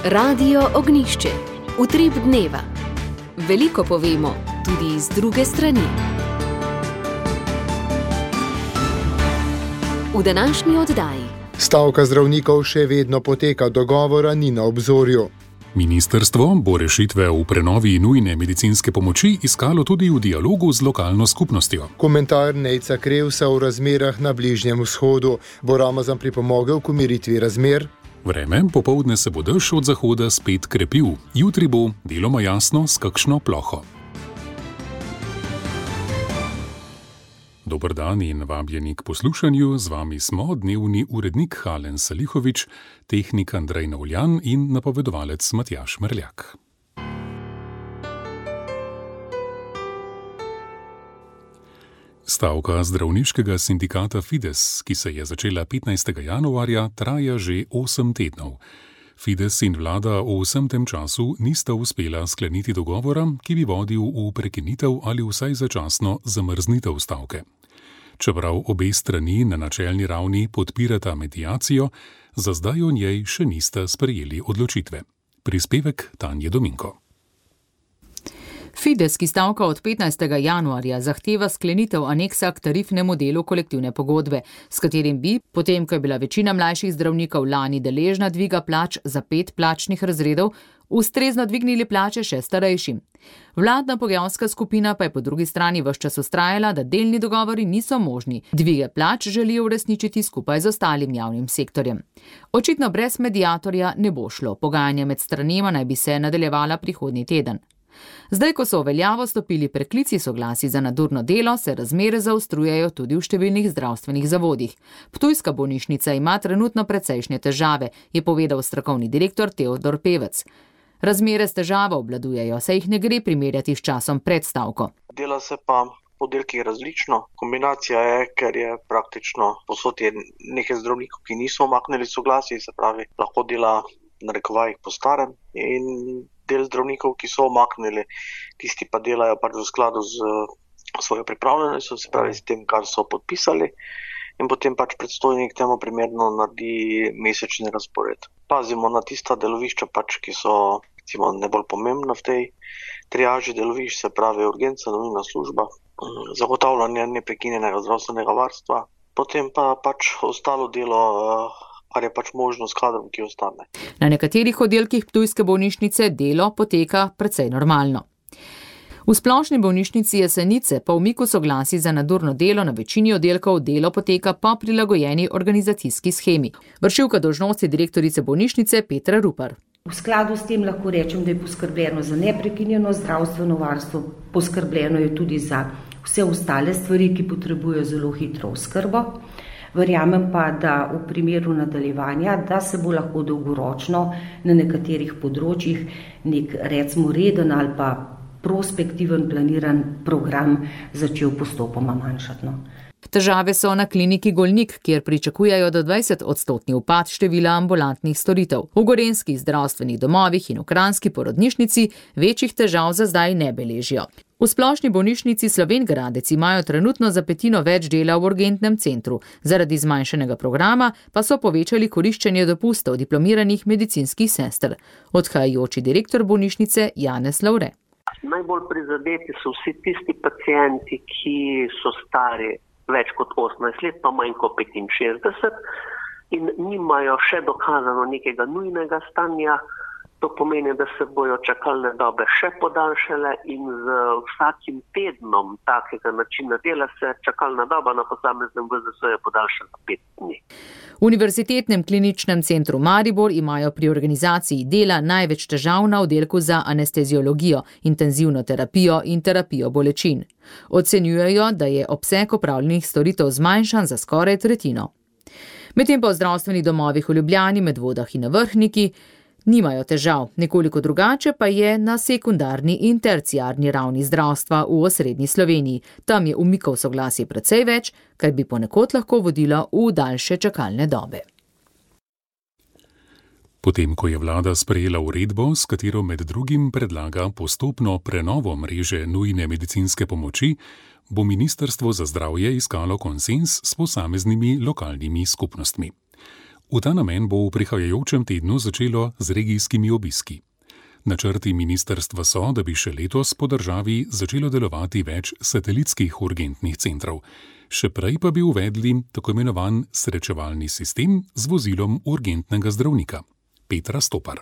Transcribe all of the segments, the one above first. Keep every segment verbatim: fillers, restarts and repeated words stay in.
Radio Ognjišče. Utrip dneva. Veliko povemo, tudi z druge strani. V današnji oddaji. Stavka zdravnikov še vedno poteka, dogovora ni na obzorju. Ministrstvo bo rešitve v prenovi nujne medicinske pomoči iskalo tudi v dialogu z lokalno skupnostjo. Komentar Nejca Krevsa o razmerah na Bližnjem vzhodu. Bo Ramazan pripomogel k umiritvi razmer? Vreme, popoldne se bo dež od zahoda spet krepil. Jutri bo deloma jasno s kakšno ploho. Dober dan in vabljeni k poslušanju. Z vami smo dnevni urednik Halen Salihovič, tehnik Andrej Navljan in napovedovalec Matjaž Merljak. Stavka zdravniškega sindikata Fides, ki se je začela petnajstega januarja, traja že osem tednov. Fides in vlada v vsem tem času nista uspela skleniti dogovora, ki bi vodil v prekinitev ali vsaj začasno zamrznitev stavke. Čeprav obe strani na načelni ravni podpirata mediacijo, za zdaj o njej še nista sprejeli odločitve. Prispevek Tanje Dominko. Fides, ki stavka od petnajstega januarja, zahteva sklenitev aneksa k tarifnemu delu kolektivne pogodbe, s katerim bi, potem ko je bila večina mlajših zdravnikov lani deležna dviga plač za pet plačnih razredov, ustrezno dvignili plače še starejšim. Vladna pogajalska skupina pa je po drugi strani ves čas vztrajala, da delni dogovori niso možni. Dvige plač želijo uresničiti skupaj z ostalim javnim sektorjem. Očitno brez mediatorja ne bo šlo. Pogajanja med stranema naj bi se nadaljevala prihodnji teden. Zdaj, ko so v veljavo stopili preklici soglasij za nadurno delo, se razmere zaostrujejo tudi v številnih zdravstvenih zavodih. Ptujska bolnišnica ima trenutno precejšnje težave, je povedal strokovni direktor Teodor Pevec. Razmere s težavo obvladujejo, saj jih ne gre primerjati s časom pred stavko. Dela se pa po oddelkih različno. Kombinacija je, ker je praktično posod je nekaj zdravnikov, ki niso omaknili soglasij, se pravi, lahko dela na rekovajih po starem, in del zdravnikov, ki so omaknili, tisti pa delajo pač v skladu z svojo pripravljenostjo, se pravi s tem, kar so podpisali, in potem pač predstojnik temu primerno naredi mesečni razpored. Pazimo na tista delovišča, pač, ki so recimo najbolj pomembna v tej triaži delovišč, se pravi urgenca, nujna služba, zagotavljanje neprekinjenega zdravstvenega varstva, potem pa pač ostalo delo, kar je pač možno s kadrom, ki ostane. Na nekaterih oddelkih ptujske bolnišnice delo poteka precej normalno. V splošni bolnišnici Jesenice po umiku soglasij za nadurno delo na večini oddelkov delo poteka po prilagojeni organizacijski shemi. Vršilka dolžnosti direktorice bolnišnice Petra Rupar. V skladu s tem lahko rečem, da je poskrbljeno za neprekinjeno zdravstveno varstvo, poskrbljeno je tudi za vse ostale stvari, ki potrebujejo zelo hitro oskrbo. Verjamem pa, da v primeru nadaljevanja, da se bo lahko dolgoročno na nekaterih področjih nek recimo reden ali pa prospektiven planiran program začel postopoma manjšati. Težave so na kliniki Golnik, kjer pričakujejo do dvajset odstotni upad števila ambulantnih storitev. V gorenjskih zdravstvenih domovih in v kranjski porodnišnici večjih težav za zdaj ne beležijo. V splošni bolnišnici Slovenj Gradec imajo trenutno za petino več dela v urgentnem centru. Zaradi zmanjšanega programa pa so povečali koriščenje dopustov diplomiranih medicinskih sester. Odhajajoči direktor bolnišnice Janez Lavre. Najbolj prizadeti so vsi tisti pacienti, ki so stari več kot osemnajst let, pa manj kot petinšestdeset in nimajo še dokazano nekega nujnega stanja. To pomeni, da se bojo čakalne dobe še podaljšale in z vsakim tednom takega načina dela se čakalna doba na posameznem V Z S-ju podaljša za pet dni. V Univerzitetnem kliničnem centru Maribor imajo pri organizaciji dela največ težav na oddelku za anesteziologijo, intenzivno terapijo in terapijo bolečin. Ocenjujejo, da je obseg opravljenih storitev zmanjšan za skoraj tretjino. Medtem pa v zdravstvenih domovih v Ljubljani, Medvodah in na Vrhniki nimajo težav, nekoliko drugače pa je na sekundarni in terciarni ravni zdravstva v osrednji Sloveniji. Tam je umikov soglasij precej več, kar bi ponekod lahko vodilo v daljše čakalne dobe. Potem, ko je vlada sprejela uredbo, s katero med drugim predlaga postopno prenovo mreže nujne medicinske pomoči, bo Ministrstvo za zdravje iskalo konsenz s posameznimi lokalnimi skupnostmi. V ta namen bo v prihajajočem tednu začelo z regijskimi obiski. Načrti ministrstva so, da bi še letos po državi začelo delovati več satelitskih urgentnih centrov. Še prej pa bi uvedli tako imenovan srečevalni sistem z vozilom urgentnega zdravnika. Petra Stopar.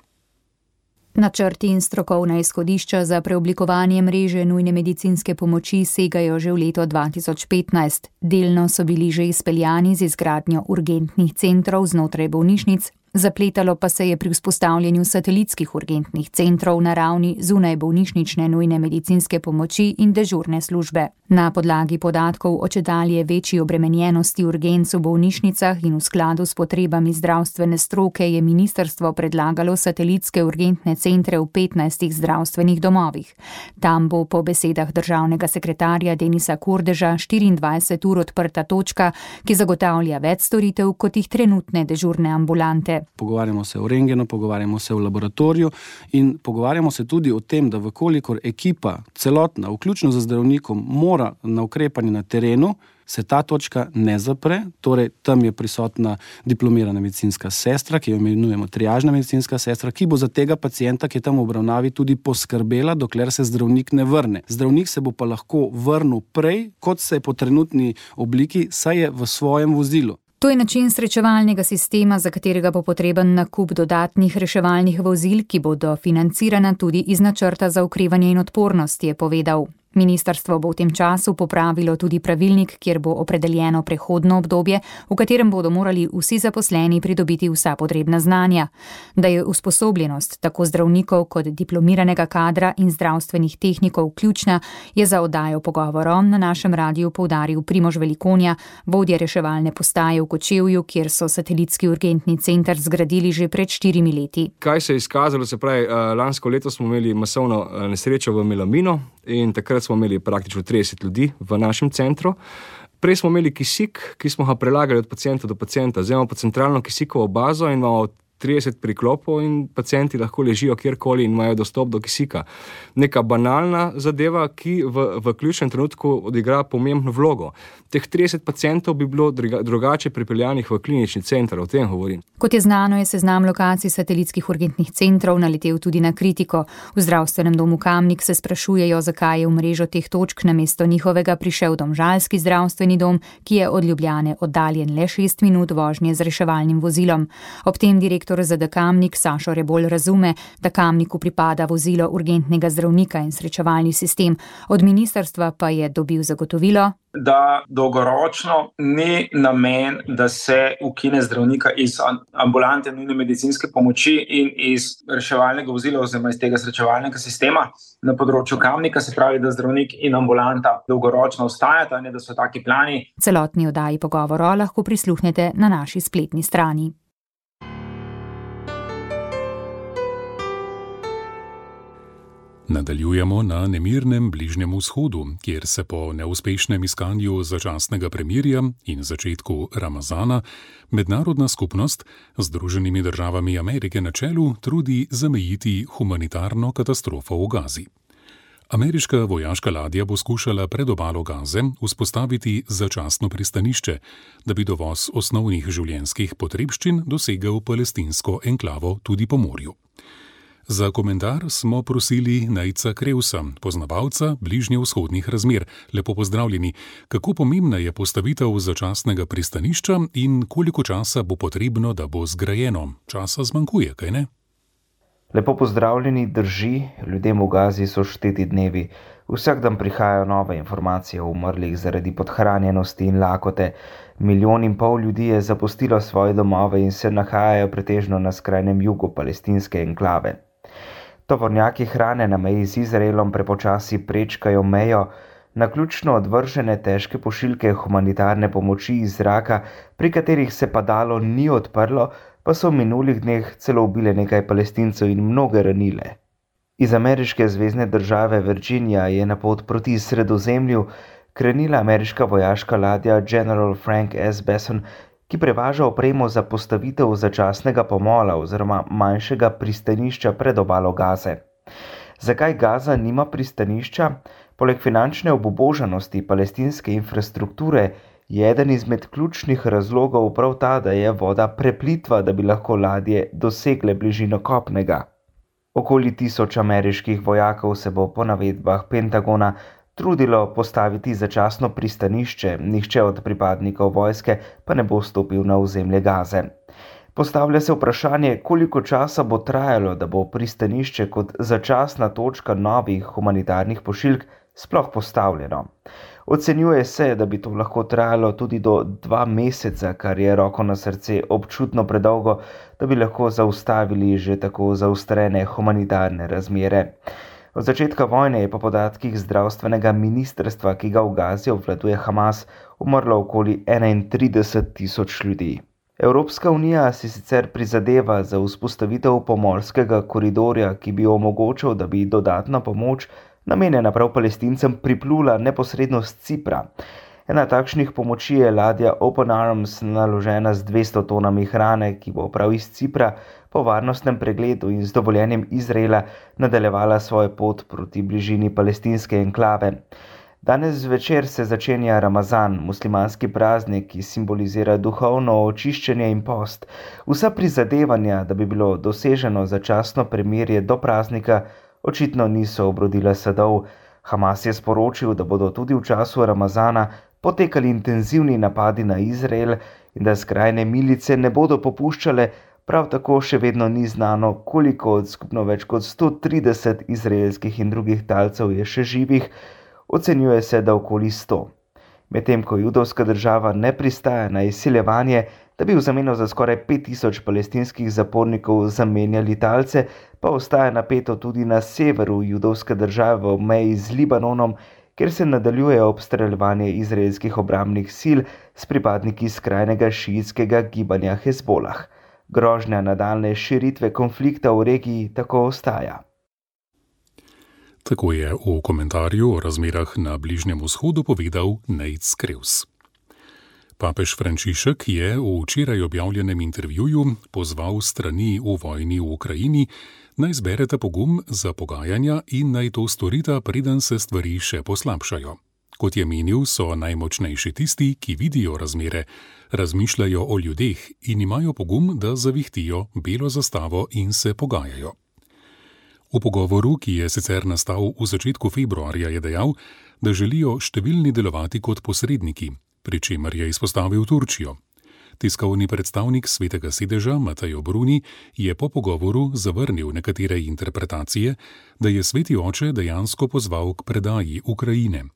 Načrti in strokovna izhodišča za preoblikovanje mreže nujne medicinske pomoči segajo že v leto dva tisoč petnajst. Delno so bili že izpeljani z izgradnjo urgentnih centrov znotraj bolnišnic, zapletalo pa se je pri vzpostavljanju satelitskih urgentnih centrov na ravni zunaj bolnišnične nujne medicinske pomoči in dežurne službe. Na podlagi podatkov o čedalje večji obremenjenosti urgenc v bolnišnicah in v skladu s potrebami zdravstvene stroke je ministrstvo predlagalo satelitske urgentne centre v petnajstih zdravstvenih domovih. Tam bo po besedah državnega sekretarja Denisa Kordeža štiriindvajset ur odprta točka, ki zagotavlja več storitev kot jih trenutne dežurne ambulante. Pogovarjamo se o rentgenu, pogovarjamo se o laboratoriju in pogovarjamo se tudi o tem, da vkolikor ekipa celotna, vključno z zdravnikom, mora na ukrepanje na terenu, se ta točka ne zapre, torej tam je prisotna diplomirana medicinska sestra, ki jo imenujemo triažna medicinska sestra, ki bo za tega pacienta, ki je tam v obravnavi, tudi poskrbela, dokler se zdravnik ne vrne. Zdravnik se bo pa lahko vrnil prej, kot se je po trenutni obliki, saj je v svojem vozilu. To je način srečevalnega sistema, za katerega bo potreben nakup dodatnih reševalnih vozil, ki bodo financirana tudi iz načrta za okrevanje in odpornost, je povedal. Ministrstvo bo v tem času popravilo tudi pravilnik, kjer bo opredeljeno prehodno obdobje, v katerem bodo morali vsi zaposleni pridobiti vsa potrebna znanja. Da je usposobljenost tako zdravnikov kot diplomiranega kadra in zdravstvenih tehnikov ključna, je za oddajo pogovorom na našem radiju poudaril Primož Velikonja, vodja reševalne postaje v Kočevju, kjer so satelitski urgentni center zgradili že pred štirimi leti. Kaj se je izkazalo, se pravi, lansko leto smo imeli masovno nesrečo v Melaminu in takrat smo imeli praktično trideset ljudi v našem centru. Prej smo imeli kisik, ki smo ga prelagali od pacienta do pacienta. Zdaj imamo pa centralno kisikovo bazo in imamo trideset priklopov in pacienti lahko ležijo kjerkoli in imajo dostop do kisika. Neka banalna zadeva, ki v, v ključnem trenutku odigra pomembno vlogo. Teh trideset pacientov bi bilo drugače pripeljanih v klinični center, o tem govorim. Kot je znano, je seznam lokacij satelitskih urgentnih centrov naletel tudi na kritiko. V zdravstvenem domu Kamnik se sprašujejo, zakaj je v mrežo teh točk namesto njihovega prišel domžalski zdravstveni dom, ki je od Ljubljane oddaljen le šest minut vožnje z reševalnim vozilom. Ob tem direktor Z D Kamnik Sašo Rebolj razume, da Kamniku pripada vozilo urgentnega zdravnika in srečevalni sistem. Od ministrstva pa je dobil zagotovilo, da dolgoročno ni namen, da se ukine zdravnika iz ambulante nujne medicinske pomoči in iz reševalnega vozila oziroma iz tega srečevalnega sistema na področju Kamnika, se pravi, da zdravnik in ambulanta dolgoročno ostajata, ne da so taki plani. Celotni oddaji pogovora lahko prisluhnete na naši spletni strani. Nadaljujemo na nemirnem Bližnjem vzhodu, kjer se po neuspešnem iskanju začasnega premirja in začetku Ramazana mednarodna skupnost z Združenimi državami Amerike na čelu trudi zamejiti humanitarno katastrofo v Gazi. Ameriška vojaška ladja bo skušala pred obalo Gaze vzpostaviti začasno pristanišče, da bi dovoz osnovnih življenjskih potrebščin dosegel palestinsko enklavo tudi po morju. Za komentar smo prosili Nejca Krevsa, poznavalca bližnjevzhodnih razmer. Lepo pozdravljeni. Kako pomembna je postavitev začasnega pristanišča in koliko časa bo potrebno, da bo zgrajeno? Časa zmanjkuje, kaj ne? Lepo pozdravljeni, drži, ljudem v Gazi so šteti dnevi. Vsak dan prihajajo nove informacije o umrlih zaradi podhranjenosti in lakote. Milijon in pol ljudi je zapustilo svoje domove in se nahajajo pretežno na skrajnem jugu palestinske enklave. Tovornjaki hrane na meji z Izraelom prepočasi prečkajo mejo, naključno odvržene težke pošiljke humanitarne pomoči iz zraka, pri katerih se padalo ni odprlo, pa so v minulih dneh celo ubile nekaj Palestincev in mnoge ranile. Iz ameriške zvezne države Virginia je na pot proti Sredozemlju krenila ameriška vojaška ladja General Frank S. Besson, ki prevaža opremo za postavitev začasnega pomola oziroma manjšega pristanišča pred obalo Gaze. Zakaj Gaza nima pristanišča? Poleg finančne obubožanosti palestinske infrastrukture je eden izmed ključnih razlogov prav ta, da je voda preplitva, da bi lahko ladje dosegle bližino kopnega. Okoli tisoč ameriških vojakov se bo po navedbah Pentagona trudilo postaviti začasno pristanišče, nihče od pripadnikov vojske pa ne bo stopil na ozemlje Gaze. Postavlja se vprašanje, koliko časa bo trajalo, da bo pristanišče kot začasna točka novih humanitarnih pošiljk sploh postavljeno. Ocenjuje se, da bi to lahko trajalo tudi do dva meseca, kar je roko na srce občutno predolgo, da bi lahko zaustavili že tako zaostrene humanitarne razmere. Od začetka vojne je po podatkih zdravstvenega ministrstva, ki ga v Gazi obvladuje Hamas, umrlo okoli enaintrideset tisoč ljudi. Evropska unija si sicer prizadeva za vzpostavitev pomorskega koridorja, ki bi omogočil, da bi dodatna pomoč, namenjena prav Palestincem, priplula neposredno z Cipra. Ena takšnih pomoči je ladja Open Arms, naložena z dvesto tonami hrane, ki bo prav iz Cipra po varnostnem pregledu in z dovoljenjem Izraela nadaljevala svojo pot proti bližini palestinske enklave. Danes zvečer se začenja Ramazan, muslimanski praznik, ki simbolizira duhovno očiščenje in post. Vsa prizadevanja, da bi bilo doseženo začasno premirje do praznika, očitno niso obrodila sadov. Hamas je sporočil, da bodo tudi v času Ramazana potekali intenzivni napadi na Izrael in da skrajne milice ne bodo popuščale, prav tako še vedno ni znano, koliko od skupno več kot sto trideset izraelskih in drugih talcev je še živih. Ocenjuje se, da okoli sto. Medtem ko judovska država ne pristaja na izsiljevanje, da bi v zameno za skoraj pet tisoč palestinskih zapornikov zamenjali talce, pa ostaja napeto tudi na severu judovske države ob meji z Libanonom, kjer se nadaljuje obstreljevanje izraelskih obrambnih sil s pripadniki skrajnega šiitskega gibanja Hezbolah. Grožnja nadaljnje širitve konflikta v regiji tako ostaja. Tako je v komentarju o razmerah na Bližnjem vzhodu povedal Nate Screws. Papež Frančišek je v včeraj objavljenem intervjuju pozval strani v vojni v Ukrajini, naj zbereta pogum za pogajanja in naj to storita, preden se stvari še poslabšajo. Kot je menil, so najmočnejši tisti, ki vidijo razmere, razmišljajo o ljudeh in imajo pogum, da zavihtijo belo zastavo in se pogajajo. V pogovoru, ki je sicer nastal v začetku februarja, je dejal, da želijo številni delovati kot posredniki, pri čemer je izpostavil Turčijo. Tiskovni predstavnik Svetega sedeža Matej Bruni je po pogovoru zavrnil nekatere interpretacije, da je Sveti oče dejansko pozval k predaji Ukrajine.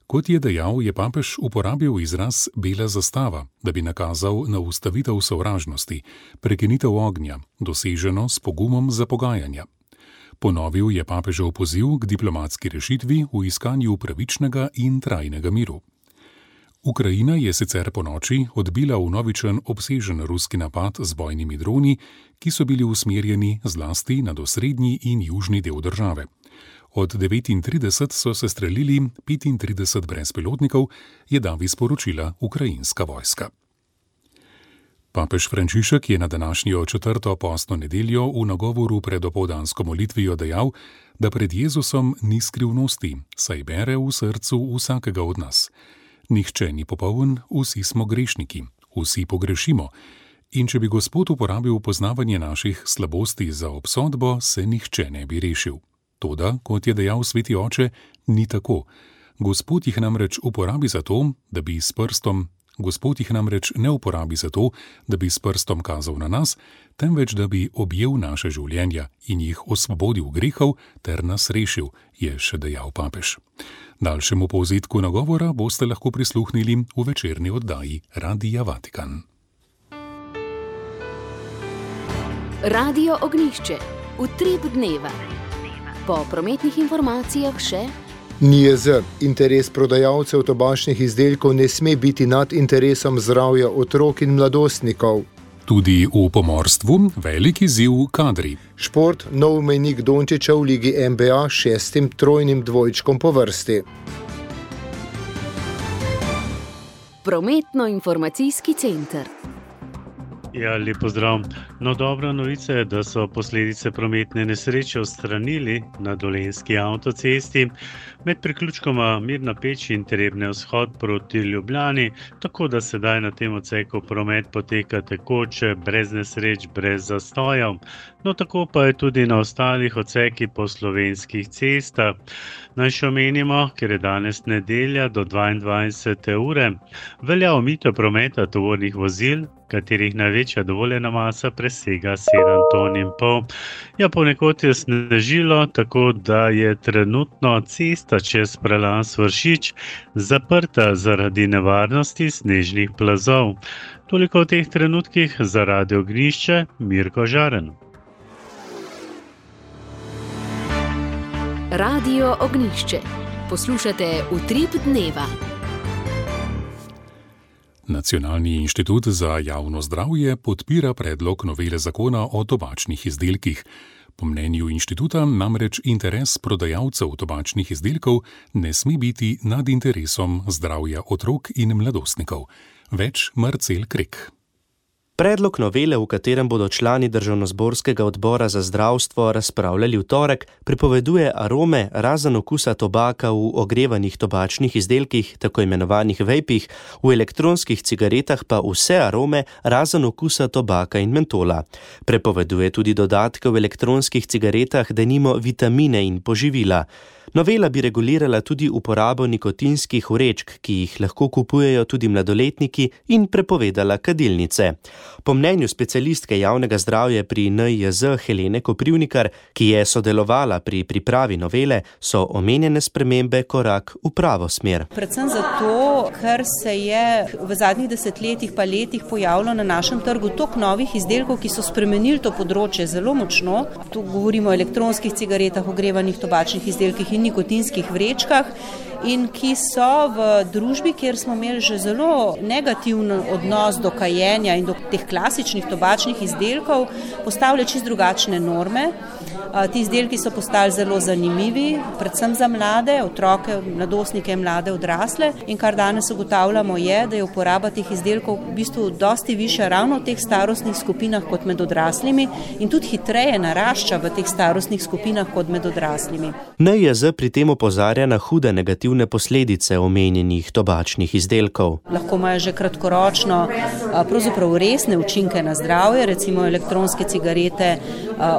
Kot je dejal, je papež uporabil izraz bela zastava, da bi nakazal na ustavitev sovražnosti, prekinitev ognja, doseženo s pogumom za pogajanja. Ponovil je papežev poziv k diplomatski rešitvi v iskanju pravičnega in trajnega miru. Ukrajina je sicer po noči odbila vnovičen obsežen ruski napad z bojnimi droni, ki so bili usmerjeni zlasti na osrednji in južni del države. Od devetintrideset so se streljili petintrideset brezpilotnikov, je davi sporočila ukrajinska vojska. Papež Frančišek je na današnjo četrto postno nedeljo v nagovoru pred opoldansko molitvijo dejal, da pred Jezusom ni skrivnosti, saj bere v srcu vsakega od nas. Nihče ni popoln, vsi smo grešniki, vsi pogrešimo. In če bi Gospod uporabil poznavanje naših slabosti za obsodbo, se nihče ne bi rešil. Toda, kot je dejal Sveti oče, ni tako. Gospod jih namreč uporabi za to, da bi s prstom Gospod jih namreč ne uporabi za to, da bi s prstom kazal na nas, temveč da bi objel naše življenja in jih osvobodil grehov ter nas rešil, je še dejal papež. Daljšemu povzetku nagovora boste lahko prisluhnili v večerni oddaji Radia Vatikan. Radio Ognjišče, utrip dneva. Po prometnih informacijah še N I E Z. Interes prodajalcev tobačnih izdelkov ne sme biti nad interesom zdravja otrok in mladostnikov. Tudi v pomorstvu velik izziv kadri. Šport, nov mejnik Dončića v ligi N B A šestim trojnim dvojčkom po vrsti. Prometno-informacijski center. Ja, lep pozdrav. No, dobra novica je, da so posledice prometne nesreče odstranili na Dolenjski avtocesti med priključkoma Mirna Peč in Trebnje vzhod proti Ljubljani, tako da sedaj na tem odseku promet poteka tekoče, brez nesreč, brez zastojev. No, tako pa je tudi na ostalih odsekih po slovenskih cestah. Naj še omenimo, ker je danes nedelja do dvaindvajsete ure, velja omejitev prometa tovornih vozil, katerih največja dovoljena masa presega sedem ton in pol. Ja, ponekod je snežilo, tako da je trenutno cesta čez prelaz Vršič zaprta zaradi nevarnosti snežnih plazov. Toliko v teh trenutkih za Radio Ognjišče, Mirko Žaren. Radio Ognjišče. Poslušate Utrip dneva. Nacionalni inštitut za javno zdravje podpira predlog novele zakona o tobačnih izdelkih. Po mnenju inštituta namreč interes prodajalcev tobačnih izdelkov ne sme biti nad interesom zdravja otrok in mladostnikov. Več Marcel Krek. Predlog novele, v katerem bodo člani Državnozborskega odbora za zdravstvo razpravljali v torek, prepoveduje arome razen okusa tobaka v ogrevanih tobačnih izdelkih, tako imenovanih vejpih, v elektronskih cigaretah pa vse arome razen okusa tobaka in mentola. Prepoveduje tudi dodatke v elektronskih cigaretah, denimo vitamine in poživila. Novela bi regulirala tudi uporabo nikotinskih vrečk, ki jih lahko kupujejo tudi mladoletniki, in prepovedala kadilnice. Po mnenju specialistke javnega zdravja pri N I J Z Helene Koprivnikar, ki je sodelovala pri pripravi novele, so omenjene spremembe korak v pravo smer. Predvsem zato, ker se je v zadnjih desetletjih pa letih pojavilo na našem trgu toliko novih izdelkov, ki so spremenili to področje zelo močno. Tu govorimo o elektronskih cigaretah, ogrevanih tobačnih izdelkih in nikotinskih vrečkah, in ki so v družbi, kjer smo imeli že zelo negativen odnos do kajenja in do teh klasičnih tobačnih izdelkov, postavljajo čisto drugačne norme. Ti izdelki so postali zelo zanimivi, predvsem za mlade, otroke, mladostnike, mlade, odrasle, in kar danes ugotavljamo je, da je uporaba teh izdelkov v bistvu dosti višja ravno v teh starostnih skupinah kot med odraslimi in tudi hitreje narašča v teh starostnih skupinah kot med odraslimi. N I J Z pri tem opozarja na hude negativne posledice omenjenih tobačnih izdelkov. Lahko imajo že kratkoročno pravzaprav resne učinke na zdravje, recimo elektronske cigarete,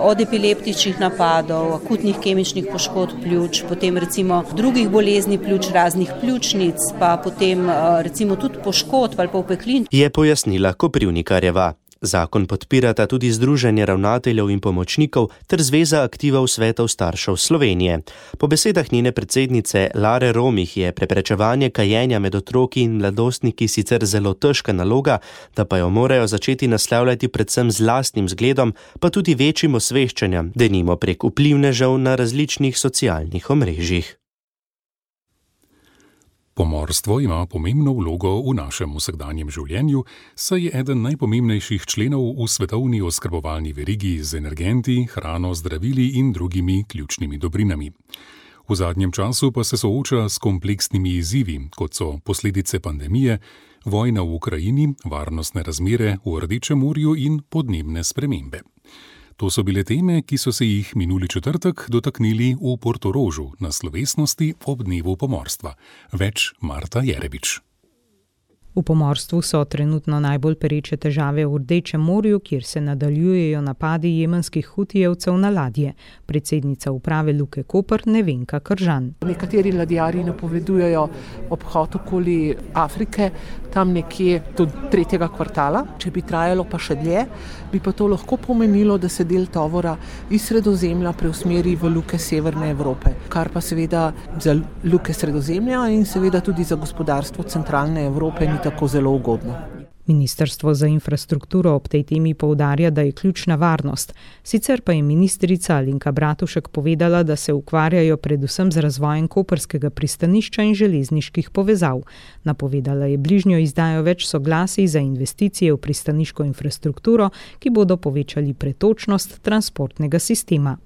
od epileptičnih napadov, akutnih kemičnih poškodb pljuč, potem recimo drugih bolezni pljuč, raznih pljučnic, pa potem recimo tudi poškodb ali pa opeklin. Je pojasnila Koprivnikarjeva. Zakon podpirata tudi Združenje ravnateljev in pomočnikov ter Zveza aktivov svetov staršev Slovenije. Po besedah njene predsednice Lare Romih je preprečevanje kajenja med otroki in mladostniki sicer zelo težka naloga, da pa jo morajo začeti naslavljati predvsem z lastnim zgledom, pa tudi večjim osveščanjem, denimo prek vplivnežev na različnih socialnih omrežjih. Pomorstvo ima pomembno vlogo v našem vsakdanjem življenju, saj je eden najpomembnejših členov v svetovni oskrbovalni verigi z energenti, hrano, zdravili in drugimi ključnimi dobrinami. V zadnjem času pa se sooča s kompleksnimi izzivi, kot so posledice pandemije, vojna v Ukrajini, varnostne razmere v Rdečem morju in podnebne spremembe. To so bile teme, ki so se jih minuli četrtek dotaknili v Portorožu na slovesnosti ob dnevu pomorstva. Več Marta Jerebič. V pomorstvu so trenutno najbolj pereče težave v Rdečem morju, kjer se nadaljujejo napadi jemenskih hutijevcev na ladje. Predsednica uprave Luke Koper Nevenka Kržan. Nekateri ladjarji napovedujejo obhod okoli Afrike, tam nekje do tretjega kvartala. Če bi trajalo pa še dlje, bi pa to lahko pomenilo, da se del tovora iz Sredozemlja preusmeri v luke Severne Evrope, kar pa seveda za luke Sredozemlja in seveda tudi za gospodarstvo centralne Evrope ni tako zelo ugodno. Ministrstvo za infrastrukturo ob tej temi poudarja, da je ključna varnost. Sicer pa je ministrica Alenka Bratušek povedala, da se ukvarjajo predvsem z razvojem koprskega pristanišča in železniških povezav. Napovedala je bližnjo izdajo več soglasij za investicije v pristaniško infrastrukturo, ki bodo povečali pretočnost transportnega sistema.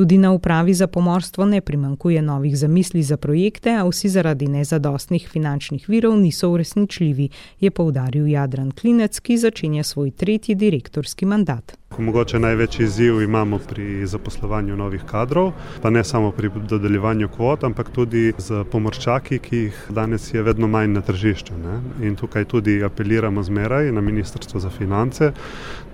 Tudi na upravi za pomorstvo ne primanjkuje novih zamisli za projekte, a vsi zaradi nezadostnih finančnih virov niso uresničljivi, je poudaril Jadran Klinec, ki začenja svoj tretji direktorski mandat. Mogoče največji izziv imamo pri zaposlovanju novih kadrov, pa ne samo pri dodeljevanju kvot, ampak tudi z pomorščaki, ki jih danes je vedno manj na tržišču. Ne? In tukaj tudi apeliramo zmeraj na Ministrstvo za finance,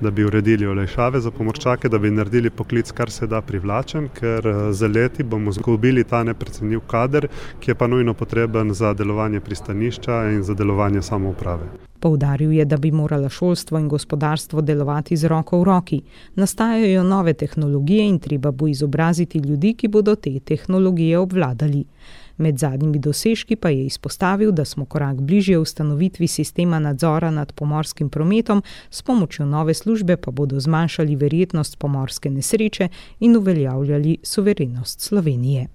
da bi uredili olajšave za pomorščake, da bi naredili poklic kar se da privlačen, ker za leti bomo izgubili ta neprecenljiv kader, ki je pa nujno potreben za delovanje pristanišča in za delovanje samouprave. Poudaril je, da bi morala šolstvo in gospodarstvo delovati z roko v roki. Nastajajo nove tehnologije in treba bo izobraziti ljudi, ki bodo te tehnologije obvladali. Med zadnjimi dosežki pa je izpostavil, da smo korak bližje ustanovitvi sistema nadzora nad pomorskim prometom, s pomočjo nove službe pa bodo zmanjšali verjetnost pomorske nesreče in uveljavljali suverenost Slovenije.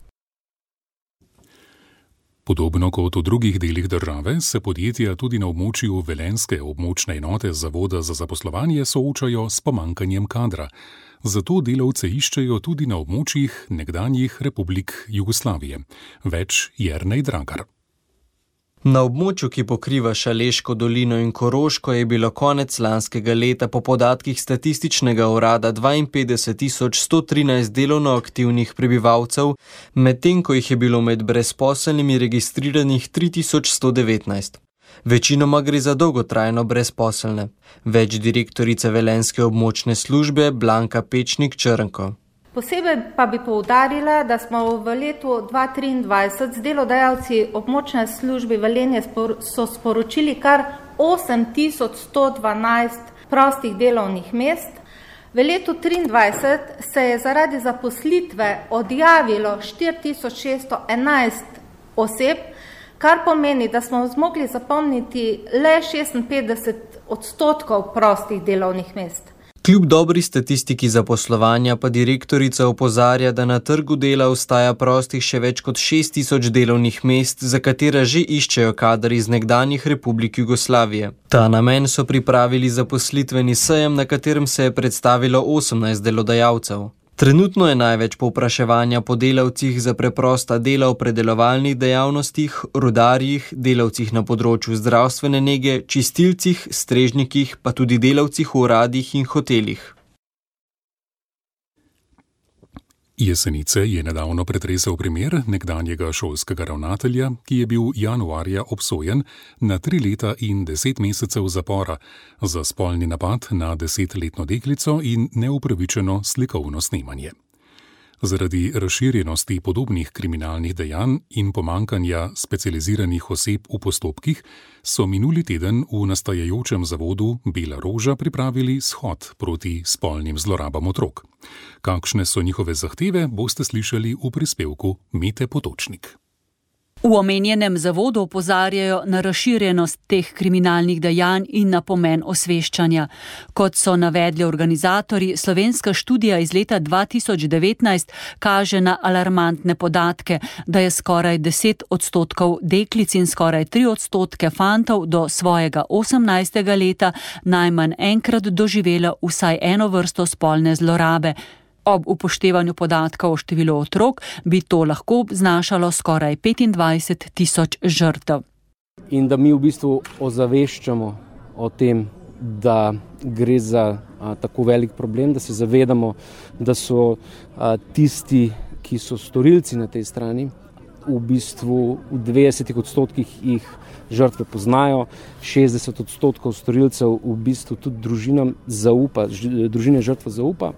Podobno kot v drugih delih države se podjetja tudi na območju velenjske območne enote Zavoda za zaposlovanje soočajo s pomanjkanjem kadra. Zato delavce iščejo tudi na območjih nekdanjih republik Jugoslavije. Več Jernej Dragar. Na območju, ki pokriva Šaleško dolino in Koroško, je bilo konec lanskega leta po podatkih statističnega urada dvainpetdeset tisoč sto trinajst delovno aktivnih prebivalcev, medtem ko jih je bilo med brezposelnimi registriranih tri tisoč sto devetnajst. Večinoma gre za dolgotrajno brezposelne. Več direktorice velenjske območne službe Blanka Pečnik Črnko. Posebej pa bi poudarila, da smo v letu dva tisoč triindvajset z delodajalci območne službe Velenje so sporočili kar osem tisoč sto dvanajst prostih delovnih mest. V letu triindvajset se je zaradi zaposlitve odjavilo štiri tisoč šeststo enajst oseb, kar pomeni, da smo zmogli zapolniti le šestinpetdeset odstotkov prostih delovnih mest. Kljub dobri statistiki zaposlovanja pa direktorica opozarja, da na trgu dela ostaja prostih še več kot šest tisoč delovnih mest, za katera že iščejo kader iz nekdanjih republik Jugoslavije. Ta namen so pripravili zaposlitveni sejem, na katerem se je predstavilo osemnajst delodajalcev. Trenutno je največ povpraševanja po delavcih za preprosta dela v predelovalnih dejavnostih, rudarjih, delavcih na področju zdravstvene nege, čistilcih, strežnikih, pa tudi delavcih v uradih in hotelih. Jesenice je nedavno pretresel primer nekdanjega šolskega ravnatelja, ki je bil januarja obsojen na tri leta in deset mesecev zapora za spolni napad na desetletno deklico in neupravičeno slikovno snemanje. Zaradi razširjenosti podobnih kriminalnih dejanj in pomankanja specializiranih oseb v postopkih so minuli teden v nastajajočem zavodu Bela roža pripravili shod proti spolnim zlorabam otrok. Kakšne so njihove zahteve, boste slišali v prispevku Mete Potočnik. V omenjenem zavodu opozarjajo na razširjenost teh kriminalnih dejanj in na pomen osveščanja. Kot so navedli organizatorji, slovenska študija iz leta dva tisoč devetnajst kaže na alarmantne podatke, da je skoraj deset odstotkov deklic in skoraj tri odstotke fantov do svojega osemnajstega leta najmanj enkrat doživela vsaj eno vrsto spolne zlorabe. Ob upoštevanju podatkov o številu otrok bi to lahko znašalo skoraj petindvajset tisoč žrtev. In da mi v bistvu ozaveščamo o tem, da gre za a, tako velik problem, da se zavedamo, da so a, tisti, ki so storilci na tej strani, v bistvu v dvajsetih odstotkih jih žrtve poznajo, šestdeset odstotkov storilcev v bistvu tudi družinam zaupa, družine žrtve zaupa,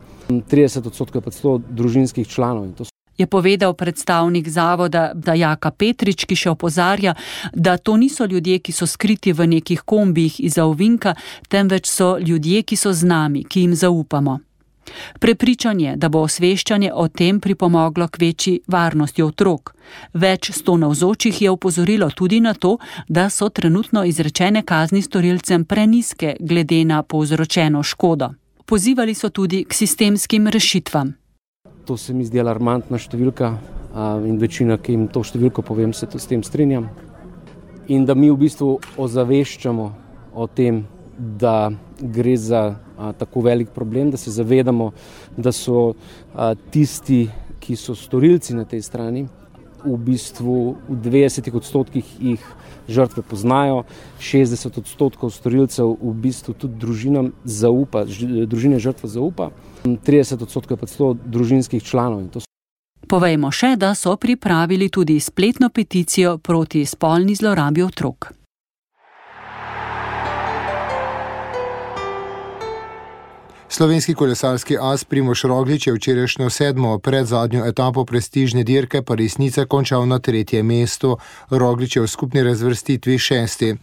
trideset odstotkov je pa celo družinskih članov. In to so je povedal predstavnik zavoda Jaka Petrič, ki še opozarja, da to niso ljudje, ki so skriti v nekih kombijih izza ovinka, temveč so ljudje, ki so z nami, ki jim zaupamo. Prepričan je, da bo osveščanje o tem pripomoglo k večji varnosti otrok. Več sto navzočih je opozorilo tudi na to, da so trenutno izrečene kazni storilcem prenizke glede na povzročeno škodo. Pozivali so tudi k sistemskim rešitvam. To se mi zdi alarmantna številka in večina, ki jim to številko povem, se to s tem strinjam. In da mi v bistvu ozaveščamo o tem, da gre za a, tako velik problem, da se zavedamo, da so a, tisti, ki so storilci na tej strani, v bistvu v devetdesetih odstotkih jih žrtve poznajo, šestdeset odstotkov storilcev v bistvu tudi družinam zaupa, družine žrtve zaupa, trideset odstotkov pa celo družinskih članov. Povejmo še, da so pripravili tudi spletno peticijo proti spolni zlorabi otrok. Slovenski kolesarski as Primož Roglič je včerajšnjo sedmo predzadnjo etapo prestižne dirke Paris-Nice končal na tretjem mestu. Roglič je v skupni razvrstitvi šesti.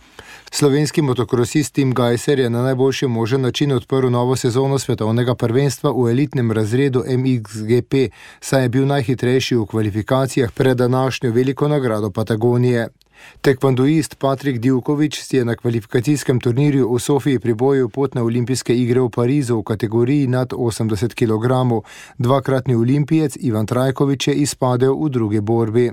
Slovenski motokrosist Tim Gajser je na najboljši možen način odprl novo sezono svetovnega prvenstva v elitnem razredu M X G P, saj je bil najhitrejši v kvalifikacijah pred današnjo veliko nagrado Patagonije. Tekvandoist Patrik Divković si je na kvalifikacijskem turnirju v Sofiji pribojil pot na olimpijske igre v Parizu v kategoriji nad osemdeset kilogramov. Dvakratni olimpijec Ivan Trajković je izpadel v drugi borbi.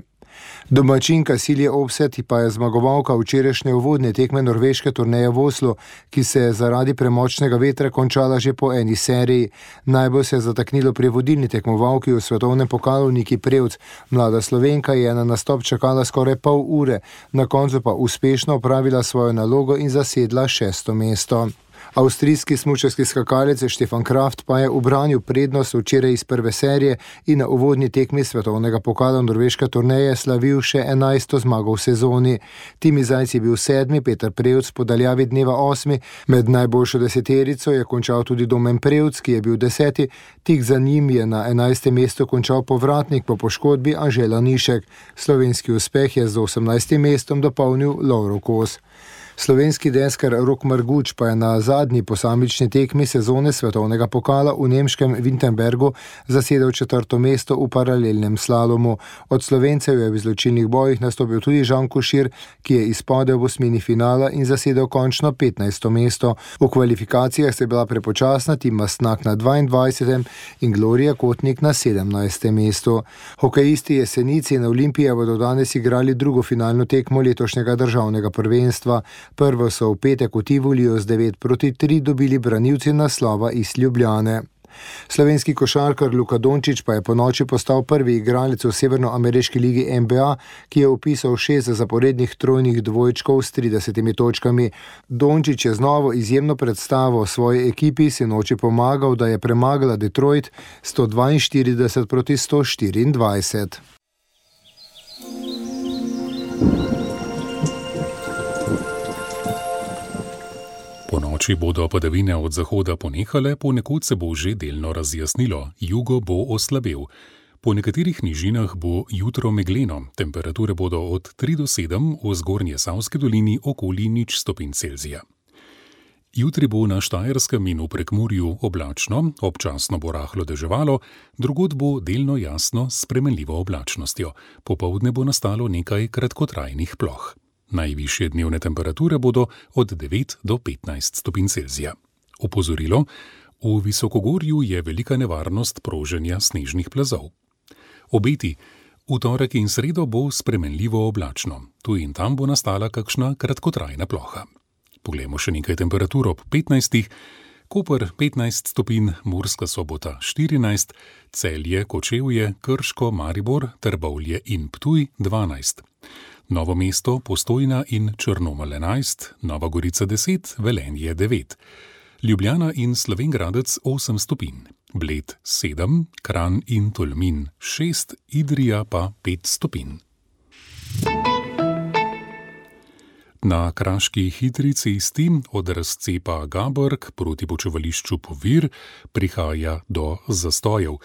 Domačinka Silje Opset pa je zmagovalka včerajšnje uvodne tekme norveške turneje v Oslu, ki se je zaradi premočnega vetra končala že po eni seriji. Najbolj se je zataknilo pri vodilni tekmovalki v svetovnem pokalu Niki Prevc. Mlada Slovenka je na nastop čakala skoraj pol ure, na koncu pa uspešno opravila svojo nalogo in zasedla šesto mesto. Avstrijski smučarski skakalec Stefan Kraft pa je ubranil prednost včeraj iz prve serije in na uvodni tekmi svetovnega pokala norveške turneje slavil še enajsto zmago v sezoni. Timi Zajc je bil sedmi, Peter Prevc po daljavi dneva osmi, med najboljšo deseterico je končal tudi Domen Prevc, ki je bil deseti, tik za njim je na enajstem mestu končal povratnik po poškodbi Anže Lanišek. Slovenski uspeh je z osemnajstim mestom dopolnil Lovro Kos. Slovenski deskar Rok Marguč pa je na zadnji posamični tekmi sezone svetovnega pokala v nemškem Wittenbergu zasedel četrto mesto v paralelnem slalomu. Od Slovencev je v izločilnih bojih nastopil tudi Žan Košir, ki je izpadel v osmini finala in zasedel končno petnajsto mesto. V kvalifikacijah se je bila prepočasna Tim Mastnak na dvaindvajsetem in Gloria Kotnik na sedemnajstem mestu. Hokejisti Jesenici in Olimpije bodo danes igrali drugo finalno tekmo letošnjega državnega prvenstva. Prvo so v petek v Tivoliju z devet proti tri dobili branilci naslova iz Ljubljane. Slovenski košarkar Luka Dončić pa je po noči postal prvi igralec v severnoameriški ligi N B A, ki je vpisal šest zaporednih trojnih dvojčkov s tridesetimi točkami. Dončić je z novo izjemno predstavo svoji ekipi sinoči pomagal, da je premagala Detroit sto dvainštirideset proti sto štiriindvajset. Po noči bodo padavine od zahoda ponehale, ponekod se bo že delno razjasnilo, jugo bo oslabel. Po nekaterih nižinah bo jutro megleno, temperature bodo od tri do sedem, v zgornje Savski dolini okoli nič stopinj Celzija. Jutri bo na Štajerskem in v Prekmurju oblačno, občasno bo rahlo deževalo, drugod bo delno jasno s spremenljivo oblačnostjo. Popoldne bo nastalo nekaj kratkotrajnih ploh. Najvišje dnevne temperature bodo od devet do petnajst stopinj Celzija. Opozorilo: v visokogorju je velika nevarnost proženja snežnih plazov. Obeti: v torek in sredo bo spremenljivo oblačno, tu in tam bo nastala kakšna kratkotrajna ploha. Poglejmo še nekaj temperatur ob petnajstih. Koper petnajst stopinj, Murska Sobota štirinajst, Celje, Kočevje, Krško, Maribor, Trbovlje in Ptuj dvanajst. Novo mesto, Postojna in Črnomelj enajst, Nova Gorica deset, Velenje devet. Ljubljana in Slovenj Gradec osem stopinj, Bled sedem, Kranj in Tolmin šest, Idrija pa pet stopinj. Na kraški hitri cesti od razcepa Gabork proti počivališču Povir prihaja do zastojev.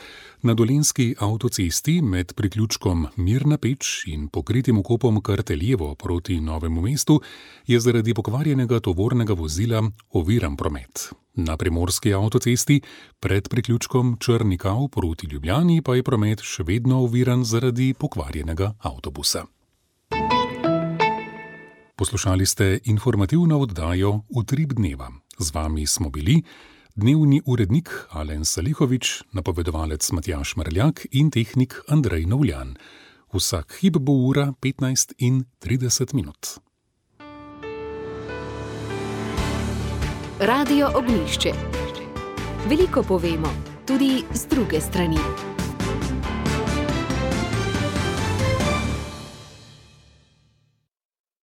Na dolenjski avtocesti med priključkom Mirna Peč in pokritim vkopom Karteljevo proti Novemu mestu je zaradi pokvarjenega tovornega vozila oviran promet. Na primorski avtocesti pred priključkom Črnikav proti Ljubljani pa je promet še vedno oviran zaradi pokvarjenega avtobusa. Poslušali ste informativno oddajo Utrip dneva. Z vami smo bili dnevni urednik Alen Salihovič, napovedovalec Matjaž Mrljak in tehnik Andrej Novljan. Vsak hip bo ura petnajst in trideset minut. Radio Ognjišče. Veliko povemo, tudi z druge strani.